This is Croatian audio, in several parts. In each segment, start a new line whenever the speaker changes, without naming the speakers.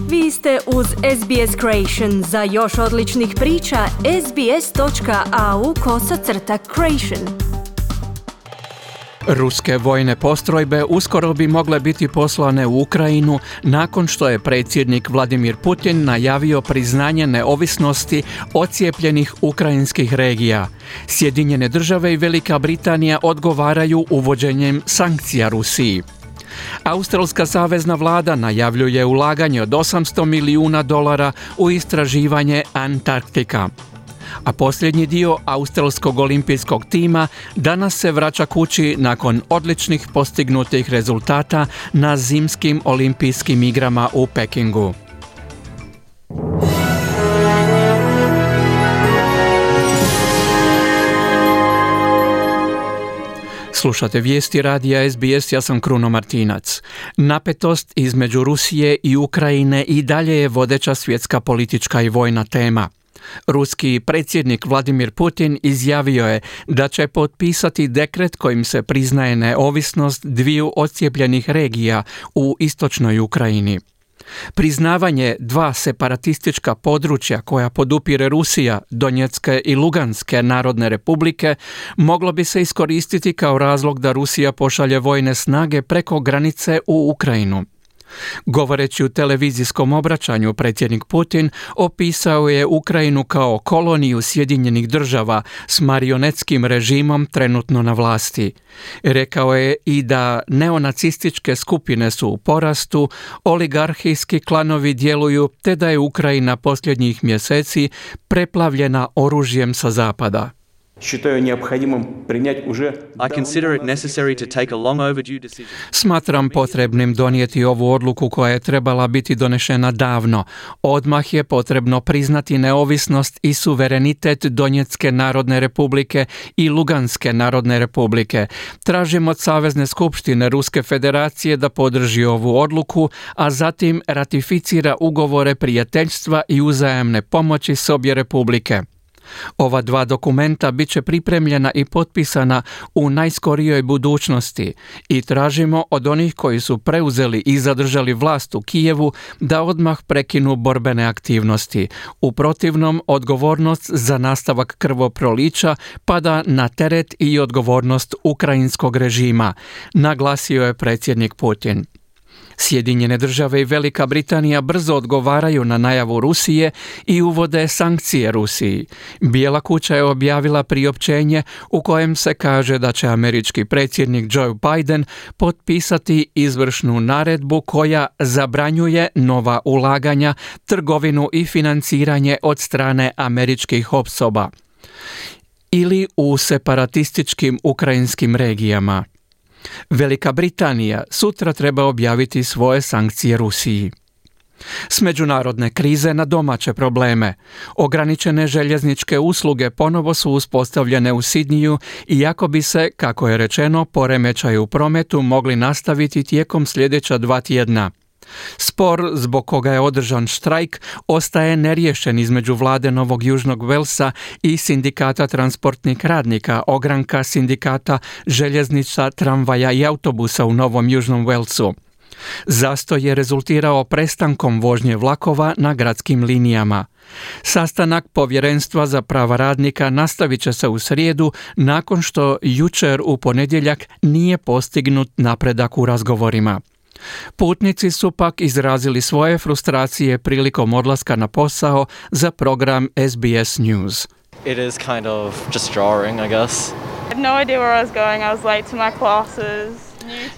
Vi ste uz SBS Creation. Za još odličnih priča, sbs.au/creation.
Ruske vojne postrojbe uskoro bi mogle biti poslane u Ukrajinu nakon što je predsjednik Vladimir Putin najavio priznanje neovisnosti odcijepljenih ukrajinskih regija. Sjedinjene države i Velika Britanija odgovaraju uvođenjem sankcija Rusiji. Australska savezna vlada najavljuje ulaganje od $800 milijuna u istraživanje Antarktika. A posljednji dio australskog olimpijskog tima danas se vraća kući nakon odličnih postignutih rezultata na zimskim olimpijskim igrama u Pekingu. Slušate vijesti radija SBS, ja sam Kruno Martinac. Napetost između Rusije i Ukrajine i dalje je vodeća svjetska politička i vojna tema. Ruski predsjednik Vladimir Putin izjavio je da će potpisati dekret kojim se priznaje neovisnost dviju odcijepljenih regija u istočnoj Ukrajini. Priznavanje dva separatistička područja koja podupire Rusija, Donjecke i Luganske narodne republike, moglo bi se iskoristiti kao razlog da Rusija pošalje vojne snage preko granice u Ukrajinu. Govoreći u televizijskom obraćanju, predsjednik Putin opisao je Ukrajinu kao koloniju Sjedinjenih država s marionetskim režimom trenutno na vlasti. Rekao je i da neonacističke skupine su u porastu, oligarhijski klanovi djeluju te da je Ukrajina posljednjih mjeseci preplavljena oružjem sa zapada. Smatram potrebnim donijeti ovu odluku koja je trebala biti donešena davno. Odmah je potrebno priznati neovisnost i suverenitet Donjecke narodne republike i Luganske narodne republike. Tražim od Savezne skupštine Ruske federacije da podrži ovu odluku, a zatim ratificira ugovore prijateljstva i uzajamne pomoći s obje republike. Ova dva dokumenta bit će pripremljena i potpisana u najskorijoj budućnosti i tražimo od onih koji su preuzeli i zadržali vlast u Kijevu da odmah prekinu borbene aktivnosti. U protivnom, odgovornost za nastavak krvoprolića pada na teret i odgovornost ukrajinskog režima, naglasio je predsjednik Putin. Sjedinjene države i Velika Britanija brzo odgovaraju na najavu Rusije i uvode sankcije Rusiji. Bijela kuća je objavila priopćenje u kojem se kaže da će američki predsjednik Joe Biden potpisati izvršnu naredbu koja zabranjuje nova ulaganja, trgovinu i financiranje od strane američkih osoba ili u separatističkim ukrajinskim regijama. Velika Britanija sutra treba objaviti svoje sankcije Rusiji. S međunarodne krize na domaće probleme. Ograničene željezničke usluge ponovo su uspostavljene u Sidniju, iako bi se, kako je rečeno, poremećaji u prometu mogli nastaviti tijekom sljedeća 2 tjedna. Spor zbog koga je održan štrajk ostaje neriješen između vlade Novog Južnog Velsa i sindikata transportnih radnika, ogranka sindikata željeznica, tramvaja i autobusa u Novom Južnom Velsu. Zastoj je rezultirao prestankom vožnje vlakova na gradskim linijama. Sastanak Povjerenstva za prava radnika nastavit će se u srijedu nakon što jučer u ponedjeljak nije postignut napredak u razgovorima. Putnici su pak izrazili svoje frustracije prilikom odlaska na posao za program SBS News.
It is kind of just jarring, I guess.
I had no idea where I was going. I was late to my classes.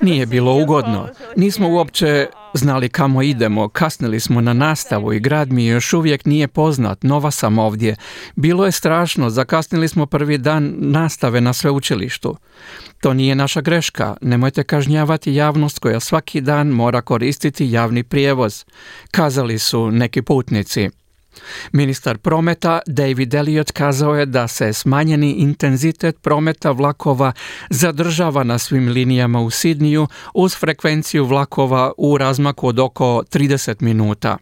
Nije bilo ugodno. Nismo uopće znali kamo idemo, kasnili smo na nastavu i grad mi još uvijek nije poznat, nova sam ovdje. Bilo je strašno, zakasnili smo prvi dan nastave na sveučilištu. To nije naša greška, nemojte kažnjavati javnost koja svaki dan mora koristiti javni prijevoz, kazali su neki putnici. Ministar prometa David Elliott kazao je da se smanjeni intenzitet prometa vlakova zadržava na svim linijama u Sidniju uz frekvenciju vlakova u razmaku od oko 30 minuta.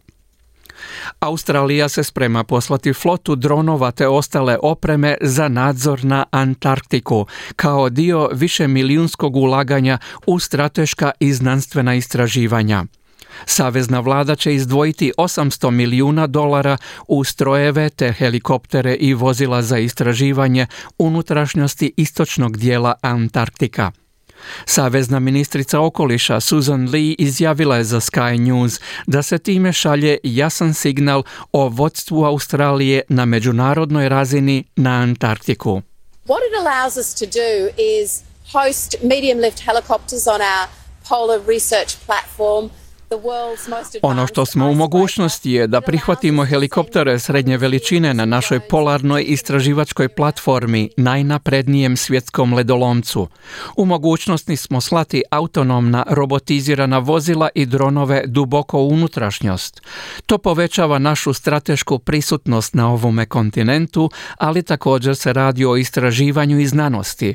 Australija se sprema poslati flotu dronova te ostale opreme za nadzor na Antarktiku kao dio višemilijunskog ulaganja u strateška i znanstvena istraživanja. Savezna vlada će izdvojiti $800 milijuna u strojeve te helikoptere i vozila za istraživanje unutrašnjosti istočnog dijela Antarktika. Savezna ministrica okoliša Susan Lee izjavila je za Sky News da se time šalje jasan signal o vodstvu Australije na međunarodnoj razini na Antarktiku.
What it allows us to do is host medium lift helicopters on our polar research platform.
Ono što smo u mogućnosti je da prihvatimo helikoptere srednje veličine na našoj polarnoj istraživačkoj platformi, najnaprednijem svjetskom ledolomcu. U mogućnosti smo slati autonomna robotizirana vozila i dronove duboko u unutrašnjost. To povećava našu stratešku prisutnost na ovome kontinentu, ali također se radi o istraživanju i znanosti.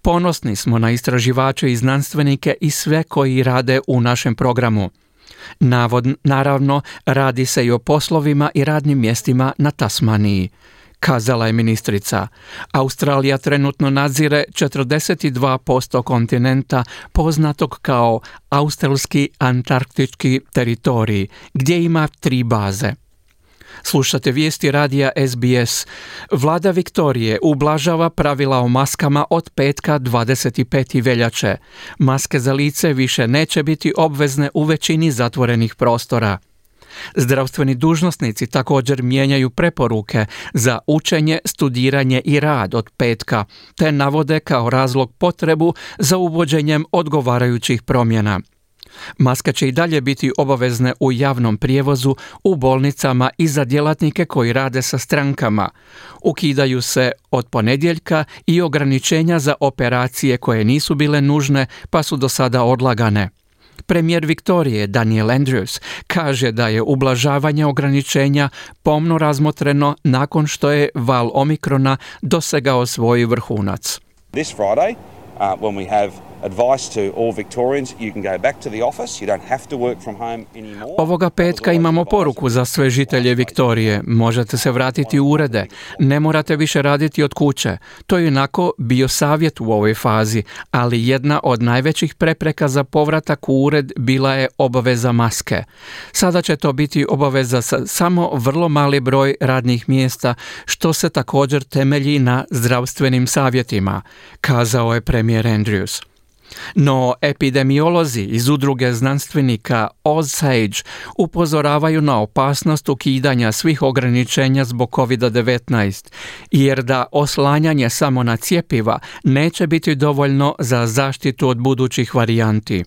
Ponosni smo na istraživače i znanstvenike i sve koji rade u našem programu. Naravno, radi se i o poslovima i radnim mjestima na Tasmaniji, kazala je ministrica. Australija trenutno nadzire 42% kontinenta poznatog kao australski antarktički teritorij, gdje ima 3 baze. Slušate vijesti radija SBS. Vlada Viktorije ublažava pravila o maskama od petka 25. veljače. Maske za lice više neće biti obvezne u većini zatvorenih prostora. Zdravstveni dužnosnici također mijenjaju preporuke za učenje, studiranje i rad od petka, te navode kao razlog potrebu za uvođenjem odgovarajućih promjena. Maske će i dalje biti obavezne u javnom prijevozu, u bolnicama i za djelatnike koji rade sa strankama. Ukidaju se od ponedjeljka i ograničenja za operacije koje nisu bile nužne pa su do sada odlagane. Premijer Viktorije Daniel Andrews kaže da je ublažavanje ograničenja pomno razmotreno nakon što je val Omikrona dosegao svoj vrhunac.
This Friday, when we have advice to all Victorians, you can go back to the office, you don't have to work from home anymore.
Ovoga petka imamo poruku za sve žitelje Viktorije. Možete se vratiti u urede. Ne morate više raditi od kuće. To je onako bio savjet u ovoj fazi, ali jedna od najvećih prepreka za povratak u ured bila je obaveza maske. Sada će to biti obaveza sa samo vrlo mali broj radnih mjesta, što se također temelji na zdravstvenim savjetima, kazao je premijer Andrews. No, epidemiolozi iz udruge znanstvenika OzSage upozoravaju na opasnost ukidanja svih ograničenja zbog COVID-19, jer da oslanjanje samo na cjepiva neće biti dovoljno za zaštitu od budućih varijanti.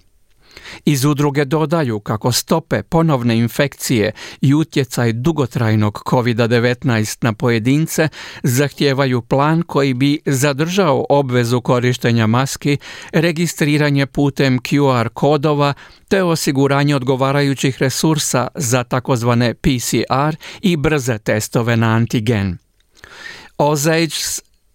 Iz udruge dodaju kako stope ponovne infekcije i utjecaj dugotrajnog COVID-19 na pojedince zahtijevaju plan koji bi zadržao obvezu korištenja maski, registriranje putem QR kodova te osiguranje odgovarajućih resursa za takozvane PCR i brze testove na antigen. OzSage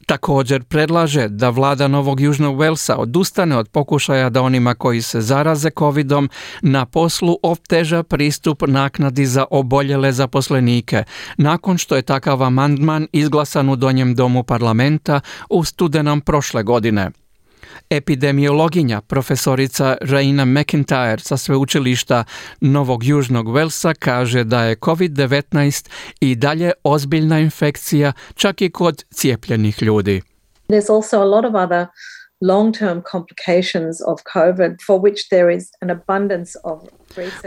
također predlaže da vlada Novog Južnog Walesa odustane od pokušaja da onima koji se zaraze covidom na poslu oteža pristup naknadi za oboljele zaposlenike, nakon što je takav amandman izglasan u Donjem domu parlamenta u studenom prošle godine. Epidemiologinja profesorica Raina McIntyre sa sveučilišta Novog Južnog Walesa kaže da je COVID-19 i dalje ozbiljna infekcija čak i kod cijepljenih ljudi.
There's also a lot of other long-term complications of COVID for which there is an abundance of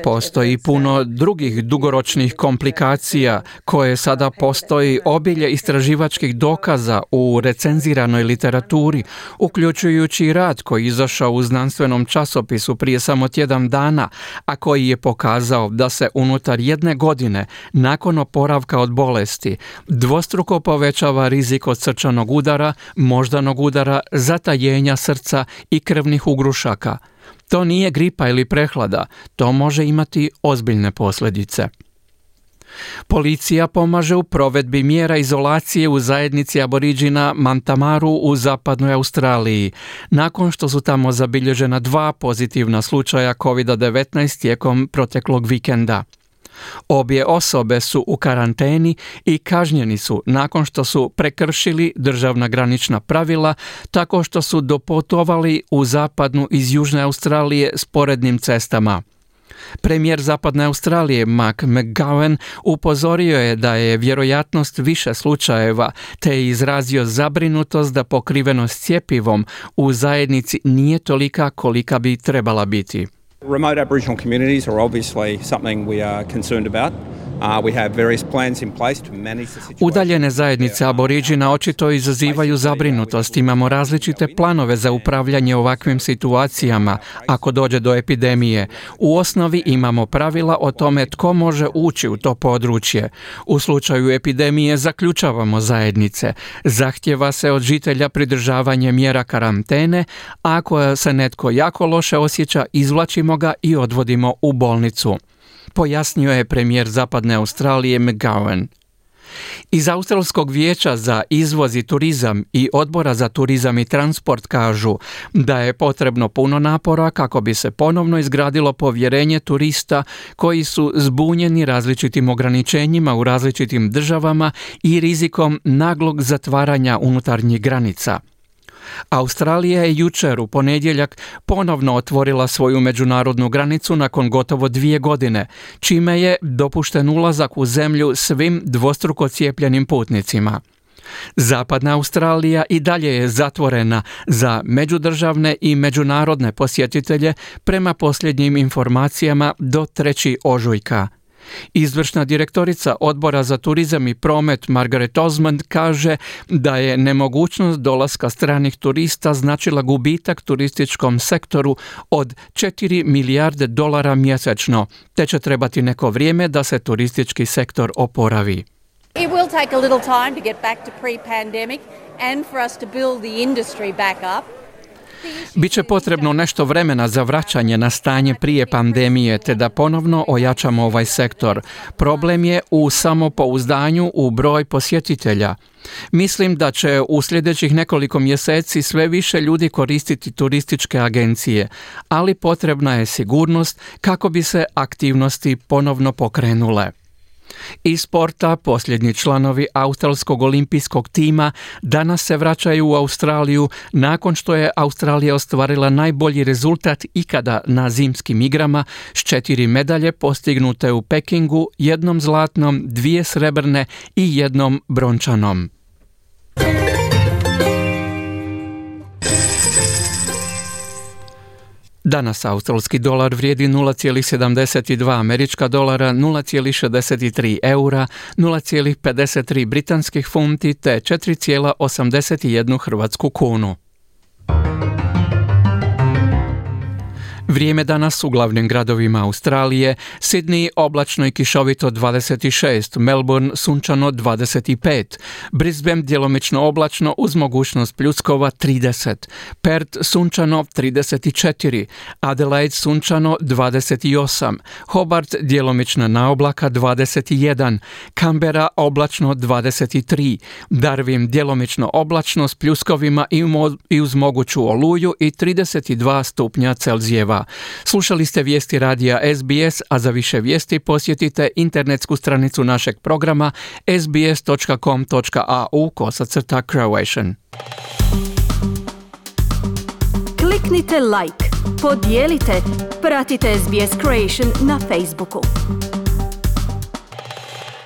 Postoji puno drugih dugoročnih komplikacija koje sada postoji obilje istraživačkih dokaza u recenziranoj literaturi, uključujući rad koji je izašao u znanstvenom časopisu prije samo tjedan dana, a koji je pokazao da se unutar 1 godine nakon oporavka od bolesti dvostruko povećava rizik od srčanog udara, moždanog udara, zatajenja srca i krvnih ugrušaka. To nije gripa ili prehlada, to može imati ozbiljne posljedice. Policija pomaže u provedbi mjera izolacije u zajednici Aboriđina Mantamaru u zapadnoj Australiji, nakon što su tamo zabilježena 2 pozitivna slučaja COVID-19 tijekom proteklog vikenda. Obje osobe su u karanteni i kažnjeni su nakon što su prekršili državna granična pravila tako što su doputovali u zapadnu iz Južne Australije sporednim cestama. Premijer Zapadne Australije Mark McGowan upozorio je da je vjerojatnost više slučajeva, te je izrazio zabrinutost da pokrivenost cjepivom u zajednici nije tolika kolika bi trebala biti.
Remote Aboriginal communities are obviously something we are concerned about. We have various plans in place to manage the situation.
Udaljene zajednice Aboriđina očito izazivaju zabrinutost. Imamo različite planove za upravljanje ovakvim situacijama ako dođe do epidemije. U osnovi imamo pravila o tome tko može ući u to područje. U slučaju epidemije zaključavamo zajednice. Zahtjeva se od žitelja pridržavanje mjera karantene, a ako se netko jako loše osjeća, izvlačimo ga i odvodimo u bolnicu, pojasnio je premijer Zapadne Australije McGowan. Iz Australskog vijeća za izvoz i turizam i Odbora za turizam i transport kažu da je potrebno puno napora kako bi se ponovno izgradilo povjerenje turista koji su zbunjeni različitim ograničenjima u različitim državama i rizikom naglog zatvaranja unutarnjih granica. Australija je jučer u ponedjeljak ponovno otvorila svoju međunarodnu granicu nakon gotovo 2 godine, čime je dopušten ulazak u zemlju svim dvostruko cijepljenim putnicima. Zapadna Australija i dalje je zatvorena za međudržavne i međunarodne posjetitelje prema posljednjim informacijama do 3. ožujka. Izvršna direktorica Odbora za turizam i promet Margaret Osmond kaže da je nemogućnost dolaska stranih turista značila gubitak turističkom sektoru od $4 milijarde mjesečno, te će trebati neko vrijeme da se turistički sektor oporavi.
It will take a little time to get back to pre-pandemic and for us to build the industry back up.
Biće potrebno nešto vremena za vraćanje na stanje prije pandemije te da ponovno ojačamo ovaj sektor. Problem je u samopouzdanju u broj posjetitelja. Mislim da će u sljedećih nekoliko mjeseci sve više ljudi koristiti turističke agencije, ali potrebna je sigurnost kako bi se aktivnosti ponovno pokrenule. Iz sporta posljednji članovi australskog olimpijskog tima danas se vraćaju u Australiju nakon što je Australija ostvarila najbolji rezultat ikada na zimskim igrama s 4 medalje postignute u Pekingu, 1 zlatnom, 2 srebrne i 1 brončanom. Danas australski dolar vrijedi 0,72 američka dolara, 0,63 eura, 0,53 britanskih funti te 4,81 hrvatsku kunu. Vrijeme danas u glavnim gradovima Australije: Sydney oblačno i kišovito 26, Melbourne sunčano 25, Brisbane djelomično oblačno uz mogućnost pljuskova 30, Perth sunčano 34, Adelaide sunčano 28, Hobart djelomično na oblaka 21, Canberra oblačno 23, Darwin djelomično oblačno s pljuskovima i uz moguću oluju i 32 stupnja Celzijeva. Slušali ste vijesti radija SBS, a za više vijesti posjetite internetsku stranicu našeg programa sbs.com.au/Croatian.
Kliknite like, podijelite, pratite SBS Creation na Facebooku.